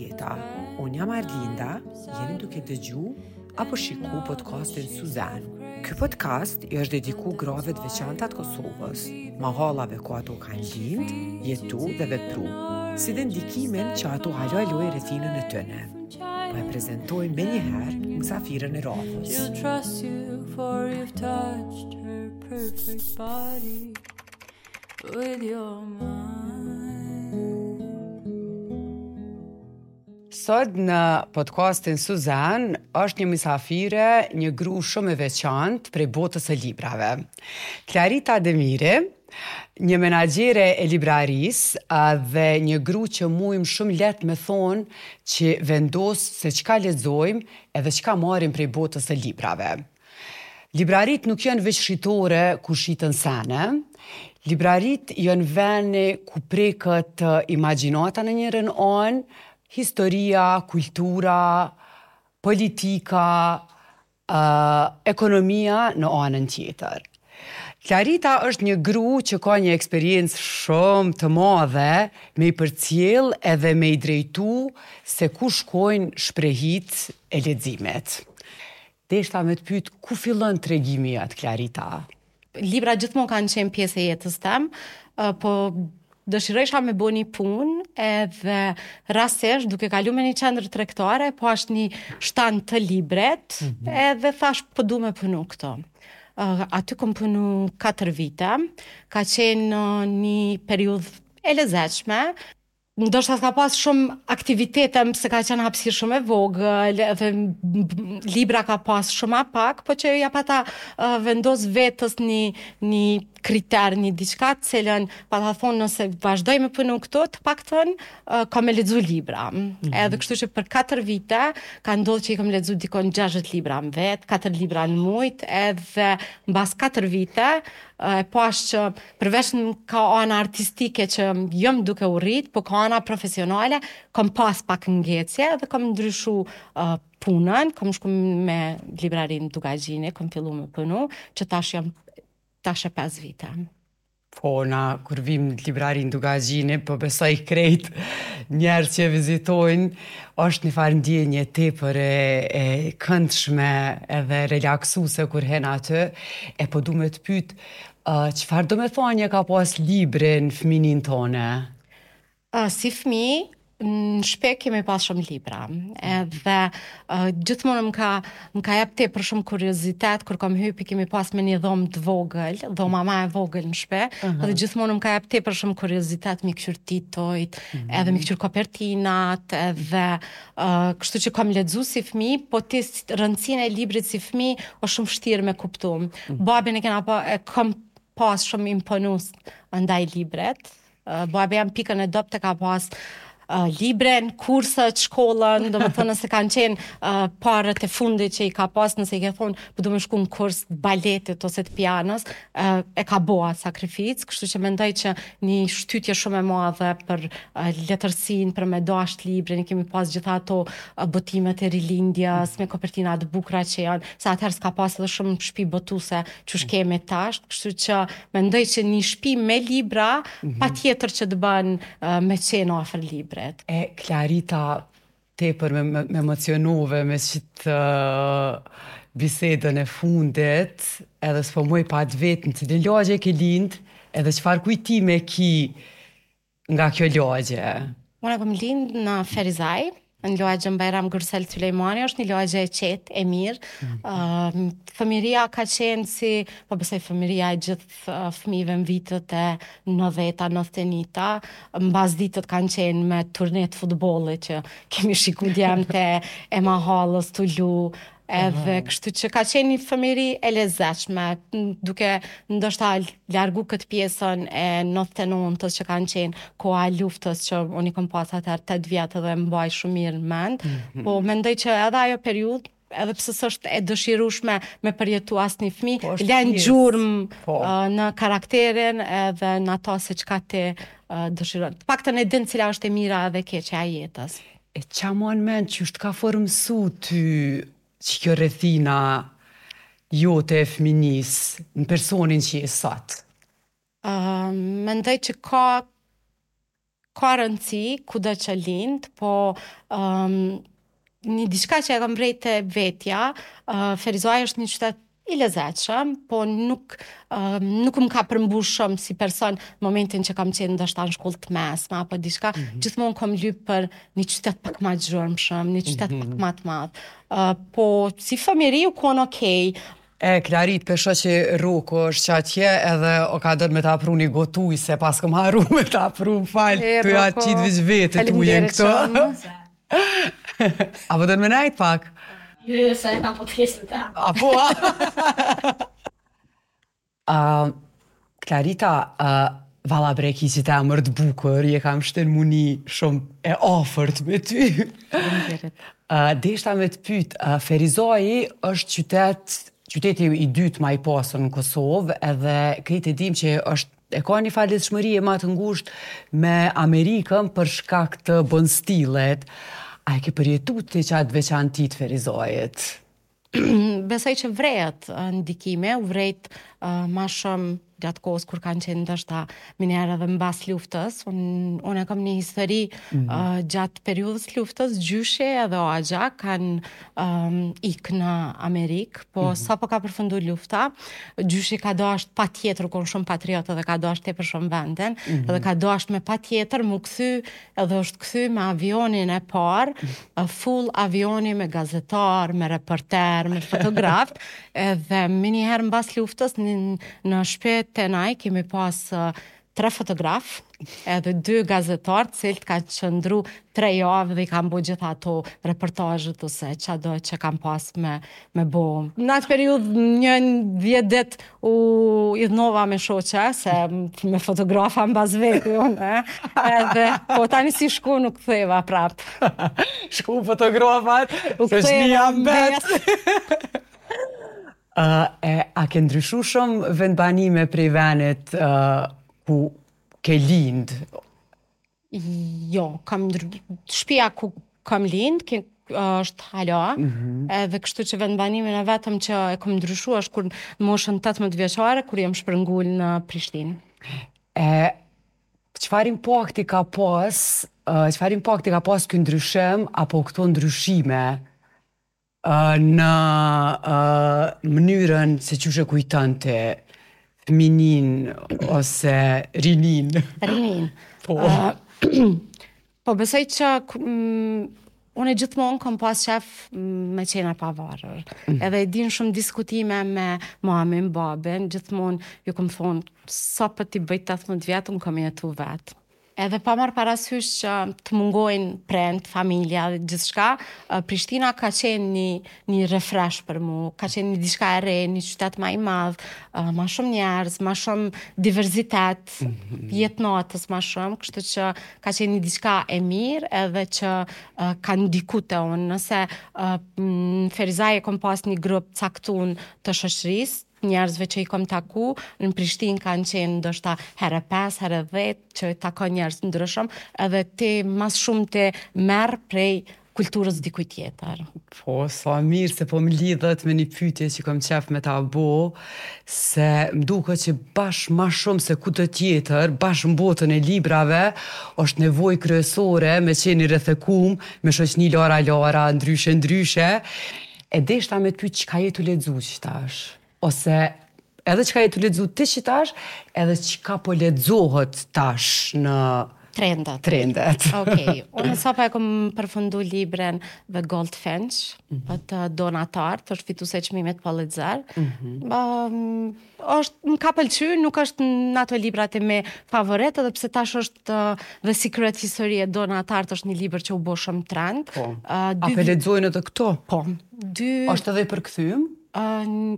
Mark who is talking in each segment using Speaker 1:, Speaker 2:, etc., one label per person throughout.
Speaker 1: jeta. Unë jam Arlinda, jeni duke dëgju apo shiku podcastin Suzan. Ky podcast i është dediku grave të veçanta të Kosovës, mahallave ku ato kanë lind, jetu dhe vepru, si dhe ndikimin që ato hala e lojnë rrethinën e tyne. Po e prezentoj menjëherë mysafirën e radhës.
Speaker 2: She'll trust you for you've touched her perfect body with your mind.
Speaker 1: Sot në podcastin Suzan është një mysafire, një gru shumë e veçantë prej botës së librave. Klarita Demiri, një menaxhere e librarisë dhe një gru që mujmë shumë lehtë me thonë që vendos se çka lexojmë edhe çka marrim prej botës së librave. Libraritë nuk janë veç shitore ku shiten sene, libraritë janë veni ku preket imagjinata në njërën anë, historia, kultura, politika, ekonomia në anën tjetër. Klarita është një gru që ka një eksperiencë shumë të madhe me i përcjell edhe me i drejtu se ku shkojnë shprehitë e leximit. Deshta me të pyet ku fillon tregimi jot Klarita?
Speaker 3: Libra gjithmonë kanë qenë pjesë e jetës tem, po dëshirojsha me bo një punë edhe rastësisht duke kalu me një qendër tregtare, po pashë një shtan të librit mm -hmm. edhe thash po du me punu këtu. Aty kom punu 4 vite, ka qenë një periudhë e lezetshme, Ndoshta s'ka pas shumë aktivitete, se ka qenë hapësirë shumë e vogël, edhe libra ka pas shumë ma pak, po që ja pata uh, vendos vetës një, një kriter, një diçka të cilën, pata thonë nëse vazhdoj me punu këtu, të paktën, uh, kam me lexu libra. Mm -hmm. Edhe kështu që për 4 vite, ka ndodhë që i kam lexu dikun 60 libra në vit, 4 libra në mujt, edhe mbas 4 vite, e pash që përveç nga ana artistike që jam duke u rrit, po ka ana profesionale, kam pas pak ngecje dhe kam ndryshu uh, punën, kam shku me librarinë Dukagjini, kam fillu me punu, që tash jam tash e 5 vite.
Speaker 1: Po, na, kur vim në librarinë Dukagjini, po besoj krejt njerëz që e vizitojnë, është një farë ndjenje tepër e, e këndshme edhe relaksuse kur hen aty, e po du me të pyet, uh, çfarë domethanje ka pas libri në fëminin tone?
Speaker 3: Uh, si fëmi, në shpi kemi pas shumë libra. Edhe uh, gjithmonë më ka më ka jap tepër shumë kuriozitet kur kam hyp kemi pas me një dhomë të vogël, dhoma ma e vogël në shpi, uh -huh. edhe gjithmonë më ka jap tepër shumë kuriozitet mi kqyr titujt, uh mhm. -huh. edhe mi kqyr kopertinat, edhe uh, kështu që kam lexu si fëmijë, po ti rëndësinë e librit si fëmijë është shumë vështirë me kuptu. Uh mhm. -huh. Babin e kena pa e kam pas shumë imponus ndaj librit. Babi jem pikën e dobët e ka pas uh, librin, kurset, shkollën, domethënë nëse kanë qenë uh, paret e fundit që i ka pas, nëse i ke thonë, po du me shku në kurs të baletit ose të pianos, uh, e ka bo atë sakrificë, kështu që mendoj që një shtytje shumë e madhe për uh, letërsinë, për me dasht librin, i kemi pas gjitha ato uh, botimet e rilindjes, me kopertina të bukura që janë, se atëherë s'ka pas edhe shumë shpi botuse qysh kemi tash, kështu që Mendoj që një shpi me libra, mm -hmm. patjetër që të bën uh, me qenë afër
Speaker 1: librit. E Klarita, tepër me, me, me emocionove me qitë uh, bisedën e fundit, edhe s'po muj pa të vetë në cilën lagje ke lind, edhe çfarë kujtime ki nga kjo
Speaker 3: lagje? Unë kam lind në Ferizaj, në lagjen Bajram Gürsel Sylejmani, është një lagje e qetë, e mirë. Mm. Uh, fëmiria ka qenë si, po besoj fëmiria e gjithë uh, fëmijëve në vitet e 90-ta, 91-ta, mbas ditët kanë qenë me turne të futbollit që kemi shiku djemtë e mahallës tu lu, Edhe kështu që ka qenë një fëmijëri e lezetshme, duke ndoshta largu këtë pjesën e 99-ës që kanë qenë koha e luftës që unë i kom pas atëherë 8 vjet edhe mbaj shumë mirë në mend, mm -hmm. po mendoj që edhe ajo periudhë edhe pse s'është e dëshirueshme me përjetu asnjë fëmijë, po, lën gjurmë po. uh, në karakterin edhe në ato se çka ti uh, dëshiron. Të paktën e din cila është e mira edhe e keqja e
Speaker 1: jetës. E ça man mend qysh të ka formësu ty qikjo rrethina jote e fëminisë në personin që je
Speaker 3: sot? Uh, mendoj që ka Ka rëndësi kudo që lind, po um, një diçka që e kam vrejt te vetja, uh, Ferizaj është një qytet i lezetshëm, po nuk uh, nuk më ka përmbush shumë si person në momentin që kam qenë ndoshta në shkollë të mesme apo diçka, mm -hmm. gjithmonë kam lyp për një qytet pak ma të zhurmshëm, një qytet mm -hmm. pak ma të madh. Uh, po si fëmijëri u kon okay,
Speaker 1: E, Klarit, pe shoh që Rroku është që atje edhe o ka dënë me ta pru një gotë ujë, se paskëm harru me ta pru, më fal, tu ja qitë veç vetë ujin këto. A po don me nejt pak?
Speaker 2: Jo, jo, se e kam podcastin
Speaker 1: ta. A po, a? Uh, Klarita, uh, valla bre ki qit emër të bukur, e kam shtin m'u ni shumë e afërt me ty. Uh, deshta me të pyt, uh, Ferizaji është qytet, qyteti i dytë ma i pasur në Kosovë, edhe krejt e dim që është e ka një farë lidhshmërie ma të ngushtë me Amerikën për shkak të Bondsteelit. A e ke përjetu ti qatë veçanti të Ferizajit?
Speaker 3: Besoj që vrehet ndikimi, u vrejt uh, ma shumë gjatë kohës kur kanë qenë ndoshta menjëherë edhe mbas luftës. Unë unë e kam një histori mm -hmm. uh, gjatë periudhës luftës, gjyshi edhe axha kanë um, ik në Amerikë, po mm -hmm. sapo ka përfundu lufta, gjyshi ka dasht patjetër, u kon shumë patriot edhe ka dasht tepër shumë vendin, mm -hmm. edhe ka dasht me patjetër m'u kthy edhe është kthy me avionin e parë, full avioni me gazetar, me reporter, me fotograf, edhe menjëherë mbas luftës në, në shpi te na kemi pas tre fotograf, edhe dy gazetar, të cilët kanë qëndru tre javë dhe i kanë bo gjitha ato reportazhet ose çado që kanë pas me, me bo. Në atë periudhë një 10 ditë U idhnova me shoqe, se me fotografa mbas veti, unë, edhe, po tani si shku nuk ktheva prap.
Speaker 1: Shku fotografat, u ktheva mbet. uh, e, a ke ndryshu shumë vendbanime prej venit uh, ku ke lind?
Speaker 3: Jo, kam ndry... Shpia ku kam lind, ke, është hala, mm -hmm. edhe kështu që vendbanimin e vetëm që e kam ndryshu është kur në moshën 18 vjeçare, kur jam shpërngul në Prishtinë.
Speaker 1: E, çfarë impakti ka pas, çfarë impakti ka pas ky ndryshim, apo këto ndryshime në mënyrën se qysh e kujton ti fëmininë ose
Speaker 3: rininë. Rininë. Po. Uh, po besoj që mm, unë gjithmonë kam pas qef me qenë e pavarur. Mm. Edhe e din shumë diskutime me mamin, babin, gjithmonë ju kom thonë, sapo t'i bëj 18 vjet, unë kam jetu vetë. Edhe pa marrë parasysh që të mungojnë prindt, familja dhe gjithçka, Prishtina ka qenë një një refresh për mu, ka qenë një diçka e re, një qytet ma i madh, ma shumë njerëz, ma shumë diversitet, mm -hmm. jetë natës ma shumë, kështu që ka qenë një diçka e mirë edhe që ka ndiku te unë. Nëse në Ferizaj e kom pas një grup caktun të shoqërisë, njerëzve që i kom taku, në Prishtinë kanë qenë ndoshta herë 5, herë 10, që takon njerëz të ndryshëm, edhe ti ma s'shumti merr prej kulturës dikujt tjetër.
Speaker 1: Po, sa mirë se po më lidhet me një pyetje që kom qef me ta bo, se më duket që bash ma shumë se kudo tjetër, bash në botën e librave, është nevojë kryesore me qenë i rrethekum, me shoqni lara lara, ndryshe ndryshe, E deshta me të pyet çka je tu lexu qitash, ose edhe çka je tu lexu ti qitash, edhe çka po lexohet tash në
Speaker 3: trendet.
Speaker 1: Trendet.
Speaker 3: Okej. Okay. Unë sapo e kom përfundu librin The Goldfinch, mm -hmm. të Donna Tartt, është fituese e çmimit Pulitzer. Mm -hmm. um, është më ka pëlqy, nuk është në ato librat e mi favorit, edhe pse tash është uh, The Secret History e Donna Tartt është një libër që u bo shumë
Speaker 1: trend. Po. Uh, dy... A pe lexojnë edhe këto?
Speaker 3: Po. Dy...
Speaker 1: është edhe i përkthym?
Speaker 3: Uh,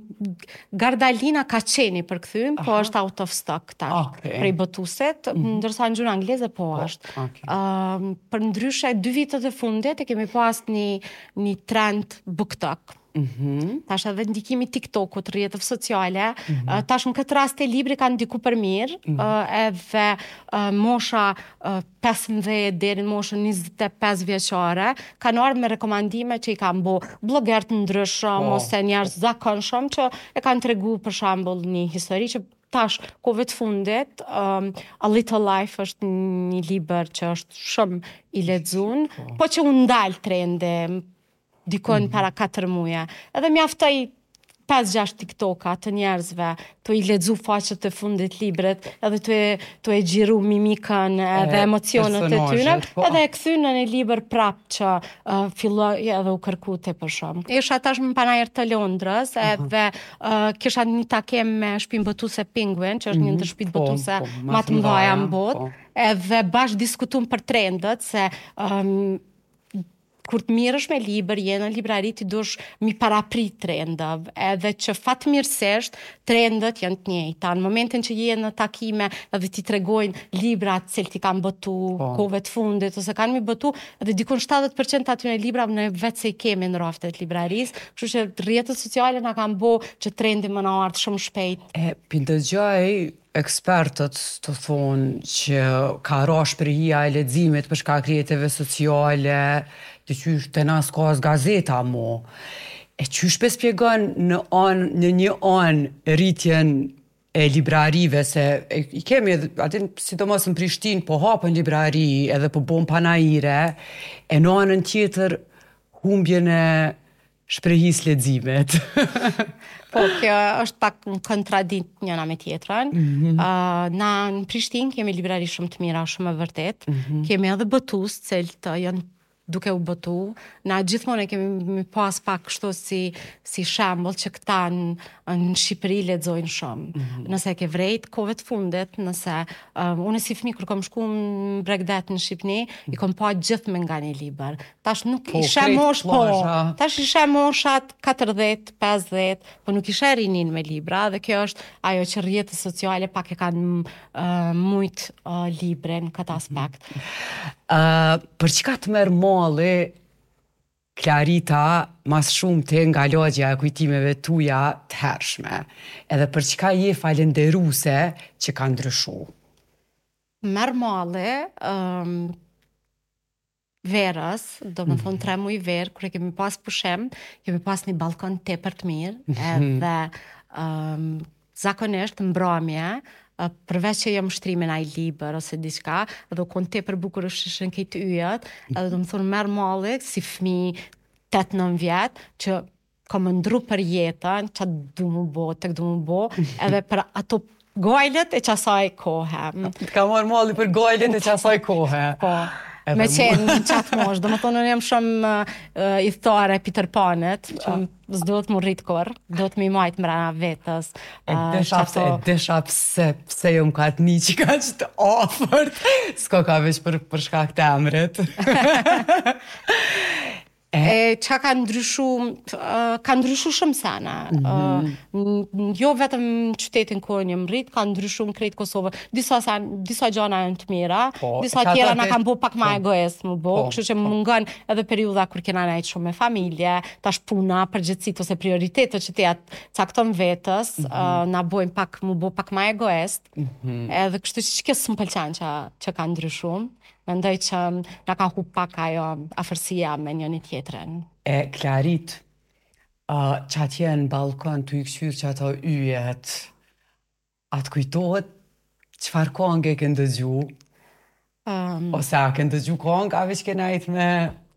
Speaker 3: Gardalina ka qenë i përkthym, po është out of stock tash okay. prej botuesit, mm -hmm. ndërsa në gjuhën angleze po, po është. Okay. Uh, përndryshe, dy vitet e fundit e kemi pas një, një trend BookTok. Mm -hmm. Tash edhe ndikimi TikTokut, rrjeteve sociale, mm -hmm. tash në këtë rast te libri ka ndiku për mirë, mm -hmm. edhe mosha 15 deri në moshën 25 vjeçare, kanë ardhur me rekomandime që i kanë bo blogerë të ndryshëm oh. ose njerëz zakonshëm që e kanë tregu për shembull një histori që. Tash, kohëve të fundit, um, A Little Life është një libër që është shumë i lexun, po, po që u ndal trendi dikun mm -hmm. para 4 muje. Edhe mjaftoi 5-6 TikToka të njerëzve, tu i lexu faqet e fundit librit, edhe tu e, tu e xhiru mimikën edhe e, emocionet e tyre, po. edhe e kthyn në një libër prap që uh, filloi edhe u kërku tepër shumë. Isha tash në panair të Londrës, edhe uh, kisha një takim me shpinë botuse Penguin, që është një mhm. ndër shpitë po, botuse po, ma të mëdhaja në botë, po. edhe bashkë diskutum për trendet, se um, kur të mirresh me libër, je në librari ti dush mi parapri trendëve, edhe që fatmirësisht trendet janë të njëjta. Në momentin që je në takime edhe ti tregojnë librat të cilët i kanë botu po. kohëve të fundit ose kanë mi botu, edhe dikun 70% të atyre librave ne vetë se i kemi në raftet e librarisë, kështu që rrjetet sociale na kanë bo që trendi me na ardhë shumë shpejt.
Speaker 1: E, pi ndëgjoj ekspertët tu thonë që ka ra shprehia e leximit për shkak rrjeteve sociale, diqysh te na s'ka as gazeta mo. E qysh pe spjegon në anë, në një anë rritjen e librarive se e, i kemi edhe aty sidomos në Prishtinë po hapen librari edhe po bon panaire e në anën tjetër humbjen e shprehisë leximit.
Speaker 3: po, kjo është pak në kontradikt njëna me tjetrën. Mm -hmm. uh, na në Prishtinë kemi librari shumë të mira, shumë e vërtet. Mm -hmm. Kemi edhe botues, të cilët janë duke u botu. Na gjithmonë e kemi mi pas pak kështu si, si shembull që këta në, në Shqipëri lexojnë shumë. Mm -hmm. Nëse e ke vrejt kohëve të fundit, nëse uh, unë si fëmijë kur kom shku në bregdet në Shqipëni, mm -hmm. i kom pa gjithë me nga një libër. Tash nuk po, i sheh mosh, po, tash i sheh moshat 40, 50, po nuk i sheh rinin me libra dhe kjo është ajo që rrjetet sociale pak e kanë uh, mujt uh, librin në këtë aspekt.
Speaker 1: Uh, për çka të merr malli Klarita ma s'shumti nga lagja e kujtimeve tuja të hershme, edhe për çka je falenderuse që ka ndryshu?
Speaker 3: Merr malli, um, verës, do me thonë mhm. tre muj verë, kur e kemi pas pushim, kemi pas një balkon tepër të mirë, mhm. edhe um, zakonisht mbramje, përveç që jam shtri me naj libër ose diçka, edhe u konë tepër bukur ishin krejt yjet, edhe do me thonë merr malli si fmi 8-9 vjet, që kam ëndrru për jetën, ça du mu bo, tek du mu bo, edhe për ato gajlet e qasaj kohe.
Speaker 1: Të ka marrë malli për gajlet e qasaj kohe.
Speaker 3: Po. Edhe me qenë në qatë moshë, do me thonë unë jam shumë uh, ithtarë e Peter Panit, që s'duhet mu rrit kurrë, duhet mi majtë mrena vetës.
Speaker 1: E uh, desha pse, e desha pse, pse jom ka të një që ka që të afërt, s'ko ka veç për, për shkak të emrit.
Speaker 3: E ça ka ndryshu, ka ndryshu shumë sene. Mm -hmm. jo vetëm në qytetin ku unë jam rrit, ka ndryshu në krejt Kosovën. Disa sen, disa gjana janë të mira, po, disa tjera na kanë bo pak ma po. egoist mu bo, po, kështu që po. mungon edhe periudha kur kena nejt shumë me familje, tash puna, përgjegjësitë ose prioritetet që ti ja cakton vetës, mm -hmm. uh, na bojnë pak mu bo pak ma egoist. Mm -hmm. Edhe kështu që kjo s'më pëlqen që që ka ndryshu. Mendoj që na ka hup pak ajo afërsia me njëni tjetrin.
Speaker 1: E Klarit, uh, qatje në balkon tu i kqyrë qato yjet, a të kujtohet çfarë kongë e ke ndëgju? Um, Ose a ke ndëgju kongë, a veç ke nejt me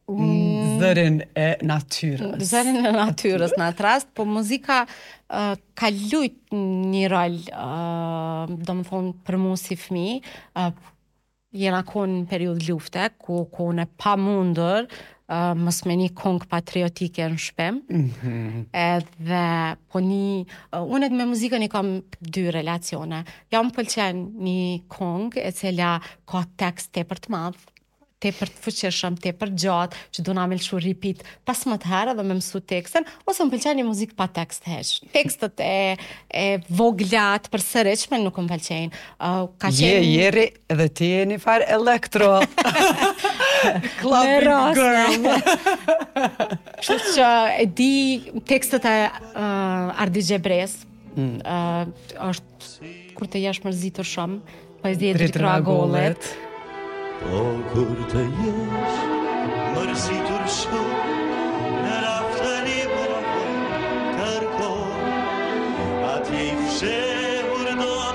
Speaker 1: mm, zërin e natyrës?
Speaker 3: Zërin e natyrës në atë rast, po muzika uh, ka lujt një rol, uh, do me thonë, për mu si fmi, uh, Jena konë në periudhë lufte, ku u konë e pamundur uh, mos me ni kongë patriotike në shpi. Mm -hmm. Edhe po një, uh, unë me muzikën i kam dy relacione. Ja më pëlqen një kongë e cila ka tekst tepër të madh, tepër të fuqishëm, tepër gjatë, që dona me lëshu repeat 15 herë dhe me mësu tekstin, ose më pëlqen një muzikë pa tekst hiç. Tekstet e, e vogla të përsëritshme nuk më pëlqejnë.
Speaker 1: Uh, ka qenë... Je, jeri, edhe ti je një farë elektro. Clubbing girl.
Speaker 3: Kështu që e di tekstet e uh, Ardit Gjebres. Mm. Uh, është kur të jesh mërzitur shumë, poezi e Dritëro Agollit.
Speaker 2: Po kur të jesh mërzitur shumë, në raft të librave kërko, atje i fshehur do të.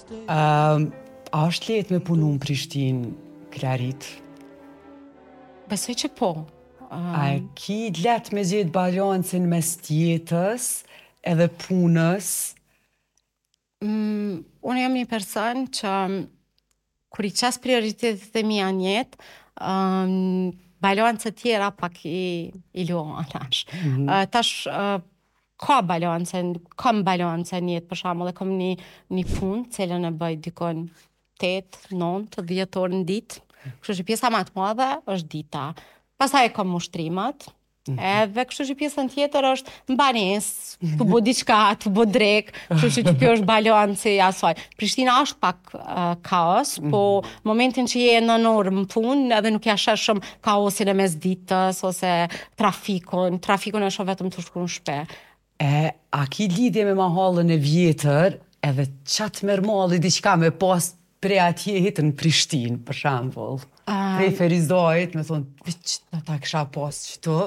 Speaker 1: Um, a është lehtë me punu në Prishtinë, Klarit?
Speaker 3: Besoj që po.
Speaker 1: Um, a e ki lehtë me gjetë balancin mes jetës edhe punës?
Speaker 3: Mm, unë jam një person që kur i qes prioritetet e mia në jetë, um, balancet tjera pak i, i lo anash. Mm -hmm. uh, tash uh, ka balance, kam balance në jetë, për shembull, e kam një, një punë, cilën e bëj dikun 8, 9, 10 orë në ditë, kështu që pjesa ma të madhe është dita. Pastaj e kam ushtrimet, mm -hmm. edhe kështu që pjesën tjetër është në banesë, tu bo diçka, tu bo drekë, kështu që që kjo është balanci i asaj. Prishtina është pak uh, kaos, mm -hmm. po momentin që je në orë në punë, edhe nuk ja sheh shumë kaosin e mesditës, ose trafikun, trafikun e shoh vetëm tu shku në shpi.
Speaker 1: E, a ki lidhje me mahallën e vjetër, edhe ça të merr malli diçka me pas prej atje hit në Prishtinë, për shembull. Um, prej Ferizajt, me thonë, veç ta kisha pas qëtu,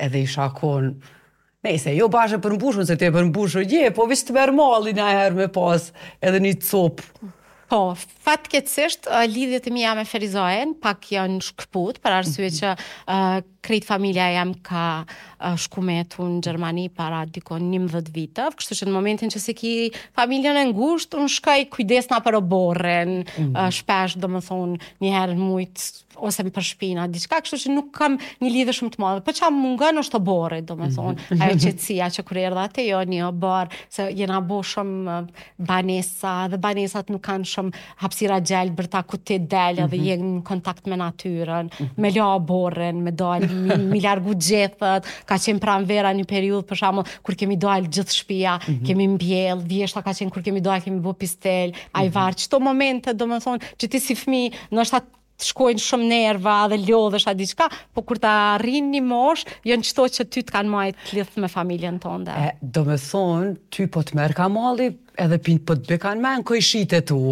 Speaker 1: edhe isha konë, Nejse, jo bash e përmbushun, se ti e përmbushun je, po veç të merr malli najherë me pas edhe një copë.
Speaker 3: Po, fatkeqësisht lidhjet e mia me Ferizajn pak janë shkëput për arsye mhm. që uh, krejt familja jem ka uh, shku me jetu në Gjermani para dikun 11 viteve, kështu që në momentin që s'e ki familjen e ngushtë, unë shkoj kujdesna për oborrin, mm -hmm. uh, shpesh domethonë një herë në mujt ose për shpina, diçka, kështu që nuk kam një lidhje shumë të madhe. Po ça mungon është oborri, domethonë, mm -hmm. ajo qetësia që kur erdha te jo një oborr, se jena bo shumë banesa dhe banesat nuk kanë shumë hapësira gjelbërta ku ti del edhe mm -hmm. je në kontakt me natyrën, mm -hmm. me la oborrin, me dal, mi, mi largu gjethet, ka qenë pranvera një periudhë për shembull kur kemi dalë gjithë shtëpia, mm -hmm. kemi mbjell, vjeshta ka qenë kur kemi dalë kemi bo pistel, mm -hmm. ajvar, qëto momente domethonë që ti si fëmijë ndoshta të shkojnë shumë nerva dhe lodhesh a diçka, po kur ta arrin një moshë, janë qëto që ty të kanë majtë të lidhë me familjen
Speaker 1: tënde. E, domethonë, ty po të merrka malli edhe pin, po të bika në men kojshitë e tu.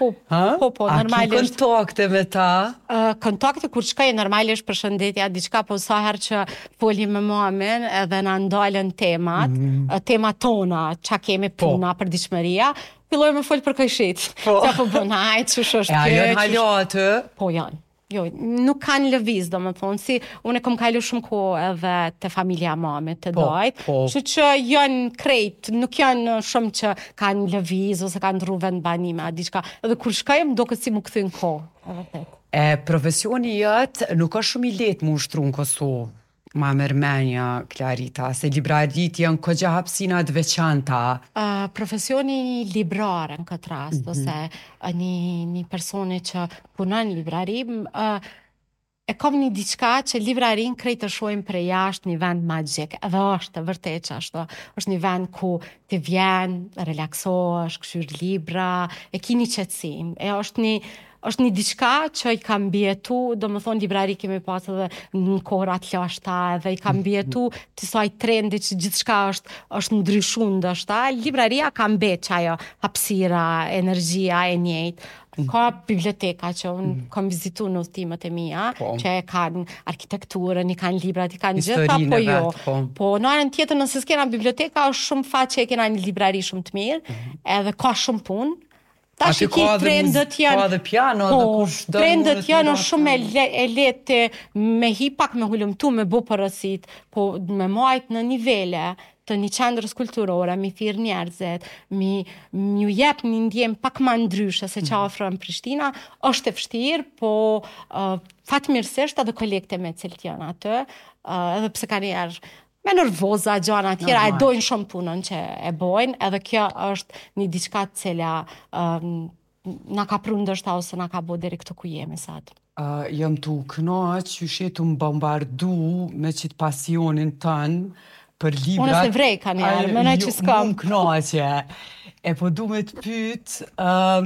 Speaker 3: Po, ha? po, po,
Speaker 1: normalisht. A ki kontakte me ta?
Speaker 3: Uh, kontakte kur shkoj normalisht përshëndetja diçka, po sa herë që foli me mamin edhe na ndalen temat, mm -hmm. temat tona, ça kemi po. puna, po. përditshmëria, Filloj me fol për kojshit. Po. Ça po bën ai, qysh është
Speaker 1: kjo? E a janë hala aty?
Speaker 3: Po janë. Jo, nuk kanë lëviz, domethonë, si unë e kom kalu shumë kohë edhe te familja e mamit, te po, dajt, po. kështu që janë krejt, nuk janë shumë që kanë lëviz ose kanë ndrru vendbanime, a diçka. Edhe kur shkoj, më doket si m'u kthy në kohë.
Speaker 1: E vërtet. E profesioni jot nuk është shumë i lehtë m'u ushtru në Kosovë. Ma merr menja, Klarita, se libraritë janë kogja hapësina të veçanta.
Speaker 3: Uh, profesioni librar në këtë rast, mm -hmm. ose një, një personi që punon në librari, uh, e kam një diçka që librarinë krejt e shohin prej jashtë një vend magjik, edhe është e vërtet që ashtu, është një vend ku ti vjen, relaksohesh, kqyr libra, e ki një qetësi, e është një, është një diçka që i ka mbijetu, domethonë librari kemi pas edhe në kohëra të lashta, edhe i ka mbijetu kësaj trendi që gjithçka është, është ndryshu ndoshta, libraria ka mbet qajo hapësira, energjia e njëjtë. Ka biblioteka që unë mm. kam vizitu në udhëtimet e mia, po. që e kanë arkitekturën, i kanë librat, i kanë gjitha, po jo. Vet, po. po në anën tjetër, nëse s'kena biblioteka, është shumë fat që e kena një librari shumë të mirë, mm -hmm. edhe ka shumë punë,
Speaker 1: Tash i ki trendet
Speaker 3: janë...
Speaker 1: Ka edhe piano,
Speaker 3: po, edhe kush do Trendet janë është shumë e, le, e lehtë me hi pak me hulumtu, me bo porosit, po me majt në nivele të një qendrës kulturore, mi thirr njerëzit, mi, mi ju jep një ndjenjë pak ma ndryshe se ça mm. ofron Prishtina, është e vështirë, po uh, fatmirësisht edhe kolegët e mi të cilët janë aty, uh, edhe pse ka njerë me nervoza, gjana tjera, e dojnë shumë punën që e bojnë, edhe kjo është një diçka të cila um, na ka pru ndoshta ose na ka bo deri këtu ku jemi
Speaker 1: sot. Uh, jam tu u knaq qysh je tu më bombardu me qitë pasionin tënd për librat.
Speaker 3: Unë s'e vrej kanjëherë, menoj që s'kam.
Speaker 1: Mu më knaqe. E po du me të pyt, uh,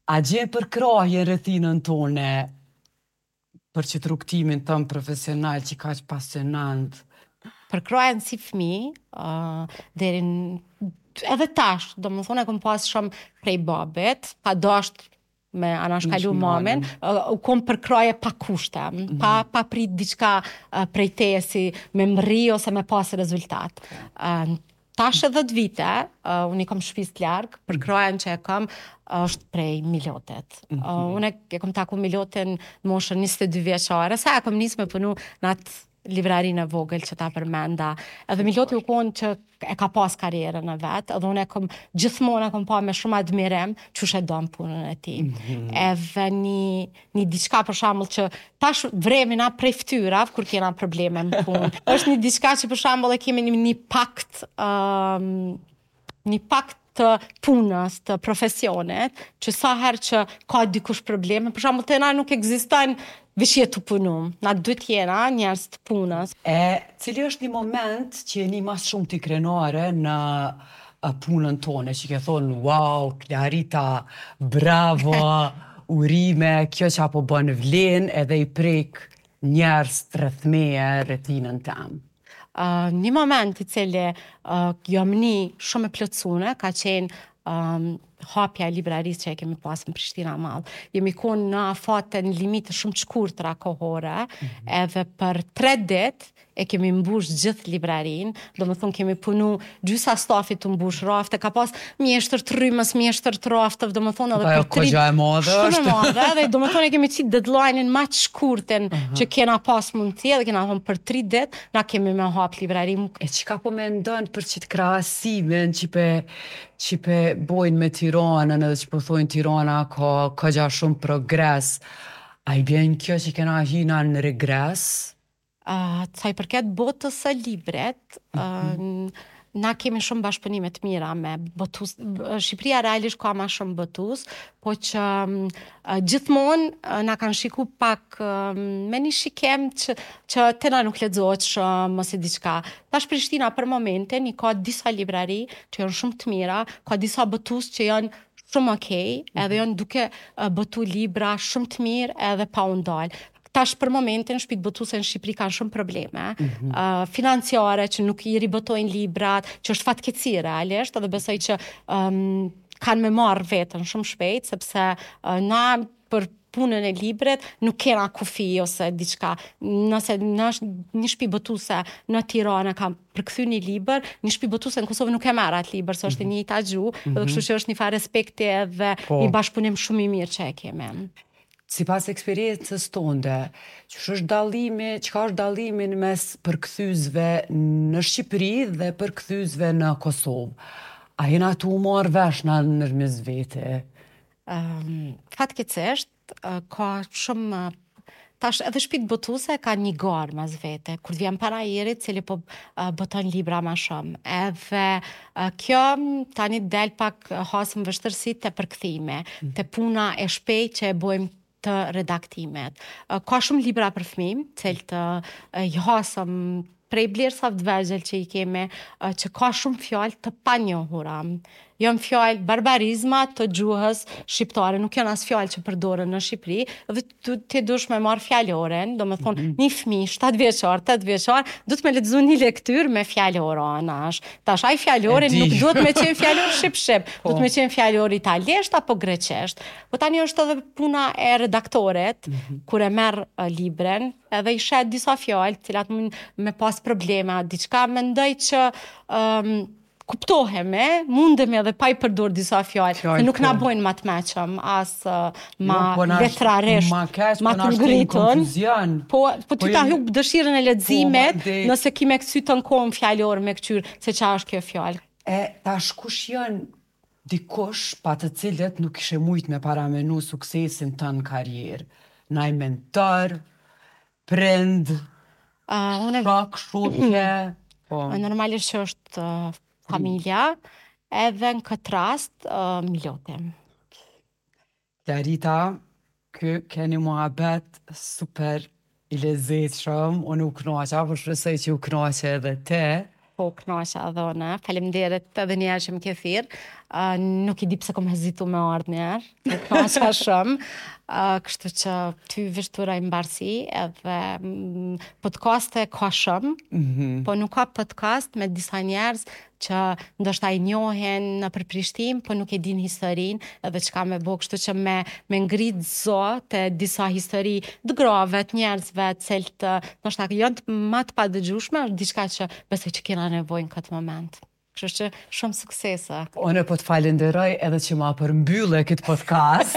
Speaker 1: a gjen përkrahje në rrethinën tone për qëtë rrugëtimin tënd profesional që kaq pasionant?
Speaker 3: Përkrahjen si fëmi, uh, deri në edhe tash, domethonë e kom pas shumë prej babit, pa dasht me anashkalu mamin, uh, u kom përkrahje pa kushte, mm -hmm. pa, pa prit diçka uh, prej teje si me mrri ose me pas rezultat. Uh, Tash e 10 vite, uh, unë i kom shpisë larg, përkrahjen që e kam është prej Milotit. Mm -hmm. uh, unë e kom taku Milotin në moshën 22 vjeçare, sa e kom nisë me punu në atë librarinë e vogël që ta përmenda. Edhe Miloti u konë që e ka pas karrierën e vet, edhe unë e kom gjithmonë e kom pa me shumë admirim qysh e don punën e tij. Mm -hmm. Edhe një një diçka për shembull që tash vremi na prej fytyrave kur kena probleme në punë. është një diçka që për shembull e kemi një, një pakt um, një pakt të punës, të profesionit, që sa herë që ka dikush probleme, për shembull te na nuk ekziston veç je tu punu. Na dytë jena njerëz të punës.
Speaker 1: E cili është një moment që je ni ma së shumti krenare në punën tone, që ke thonë, wow, Klarita, bravo, urime, kjo që po bën vlen edhe i prek njerëz rreth meje, rrethinën tem.
Speaker 3: Uh, një moment i cili uh, jam ni shumë e plotësune, ka qenë um, hapja e librarisë që e kemi pas në Prishtina Mall. Jemi konë në afate në limite shumë të shkurtra kohore, mm -hmm. edhe për tre ditë e kemi mbush gjithë librarinë, domethonë kemi punu gjysa stafit tu mbush rafte, ka pas mjeshtër të rrymës, mjeshtër të rafteve, domethonë
Speaker 1: edhe për tri... Koxha e madhe
Speaker 3: është. Shumë e madhe, edhe domethonë e kemi qitë deadline-in ma të shkurtin uh -huh. që kena pas mundësi, edhe kena thonë për tri ditë, na kemi me hap librarinë.
Speaker 1: E çka po mendon për qit krahasimin që pe, që pe bojnë me Tiranën edhe që po thojnë Tirana ka koxha shumë progres, a i bjen kjo që kena hi na në regres?
Speaker 3: Uh, sa i përket botës së librit, uh, mm -hmm. na kemi shumë bashkëpunime të mira me botues. Shqipëria realisht ka ma shumë botues, po që uh, gjithmonë uh, na kanë shiku pak uh, me një shikim që, që te na nuk lexohet shumë ose diçka. Tash Prishtina për momentin i ka disa librari që janë shumë të mira, ka disa botues që janë shumë okej, mm -hmm. edhe janë duke botu libra shumë të mirë edhe pa u ndalë. Tash për momentin shtëpitë botuese në Shqipëri kanë shumë probleme mm -hmm. uh, financiare që nuk i ribotojnë librat, që është fatkeqësi realisht, edhe besoj që um, kanë me marrë veten shumë shpejt, sepse uh, na për punën e librit nuk kena kufi ose diçka. Nëse në një shtëpi botuese në Tiranë ka përkthy një libër, një shtëpi botuese në Kosovë nuk e merr atë libër, se është e mhm. njëjta gjuhë, mm -hmm. edhe kështu që është një farë respekti edhe po. një bashkëpunim shumë i mirë që e kemi.
Speaker 1: Sipas eksperiencës tonde, qysh është dallimi, çka është dallimi në mes përkthyesve në Shqipëri dhe përkthyesve në Kosovë? A jena tu u marrë vesh na nërmes vete?
Speaker 3: Um, fatkeqësisht, ka shumë Tash edhe shpitë botuese ka një garë mes vete, kur të vjen panairi, cili po boton libra ma shumë. Edhe kjo tani del pak hasëm vështirësi te përkthimi, mm. te puna e shpejtë që e bojmë të redaktimit. Ka shumë libra për fëmijë, cilët i hasëm prej blerësave të vegjël që i kemi, që ka shumë fjalë të panjohura. Janë fjalë barbarizma të gjuhës shqiptare, nuk janë as fjalë që përdoren në Shqipëri, dhe ti duhesh me marrë fjalorin, domethonë, mm -hmm. një fëmijë, 7 vjeçar, 8 vjeçar, duhet me lexu një lektyrë me fjalor anash. Tash ai fjalori nuk duhet me qenë fjalor shqip-shqip, po. duhet me qenë fjalor italisht apo greqisht. Po tani është edhe puna e redaktorit, mm -hmm. kur e merr librin, edhe i sheh disa fjalë, të cilat mund me pas probleme, diçka mendoj që um, kuptohemi, mundemi edhe pa i përdor disa fjalë, se nuk na po. bojnë ma të meçëm, as uh, ma jo, po letrarisht,
Speaker 1: ma keq, ma po të ngritun.
Speaker 3: Po, po ty po ta hup dëshirën e leximit, po, nëse ki me kcy të në kohën fjalor me këqyr se ça është kjo fjalë.
Speaker 1: E tash kush janë dikush pa të cilët nuk kishe mujt me paramenu suksesin tënd në karrierë? Naj mentor, prind,
Speaker 3: uh,
Speaker 1: unë... shok, shoqe,
Speaker 3: po. Normalisht që është uh, familja, edhe në këtë rast uh, Miloti.
Speaker 1: Klarita, ky ke një muhabet super i lezetshëm, unë u knaqa, po shpresoj që u knaqe edhe
Speaker 3: ti. Po, u knaqa edhe unë, faleminderit edhe një herë që më ke thirrë. Uh, nuk e di pse kom hezitu me ardhë një herë, u knaqa shumë. Uh, kështu që ty veç t'uroj mbarësi edhe mm, podcaste ka shumë, mm -hmm. po nuk ka podcast me disa njerëz që ndoshta i njohin nëpër Prishtinë, po nuk e dinë historinë edhe çka me bo, kështu që me me ngrit zo te disa histori të grave, të njerëzve, të cilët ndoshta janë të, ma të padëgjueshme, është diçka që besoj që kena nevojë në këtë moment. Kështu që shumë suksese.
Speaker 1: Unë po të falenderoj edhe që ma përmbylle këtë podcast.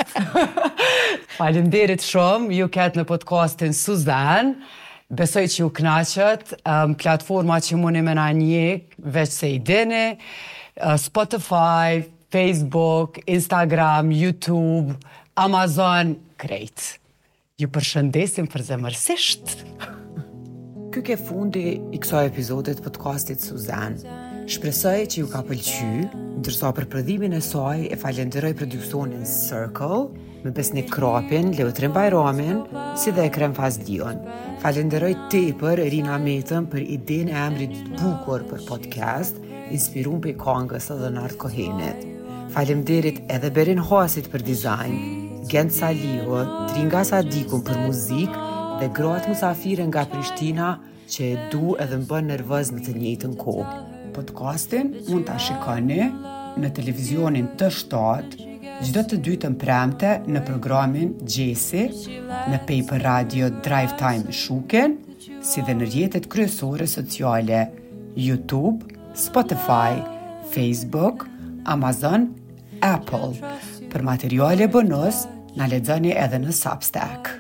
Speaker 1: Faleminderit shumë, ju ketë në podcastin Suzan. Besoj që ju knaqët, um, platforma që muni me na njek, veç se i dini, uh, Spotify, Facebook, Instagram, YouTube, Amazon, krejt. Ju përshëndesim përzemërsisht. Ky ke fundi i kësaj epizode të podcastit Suzan. Shpresoj që ju ka pëlqy, ndërsa për prodhimin e saj e falenderoj produksionin Circle, me Besnik Krapin, Leotrim Bajramin, si dhe Ekrem Fazliun. Falenderoj tepër Rina Metën për idenë e emrit të bukur për podcast, inspirum prej kangës së Leonard Cohenit. Faleminderit edhe Berin Hasit për dizajn, Gent Salihu, Tringa Sadikun për muzikë dhe gratë musafire nga Prishtina që e du edhe më bën nervoz në të njëjtën kohë. Podcastin mund ta shikoni në televizionin T7 çdo të dytën premte në programin Gjesi në Paper Radio Drive Time Shuken, si dhe në rrjetet kryesore sociale YouTube, Spotify, Facebook, Amazon, Apple. Për materiale bonus, na lexoni edhe në Substack.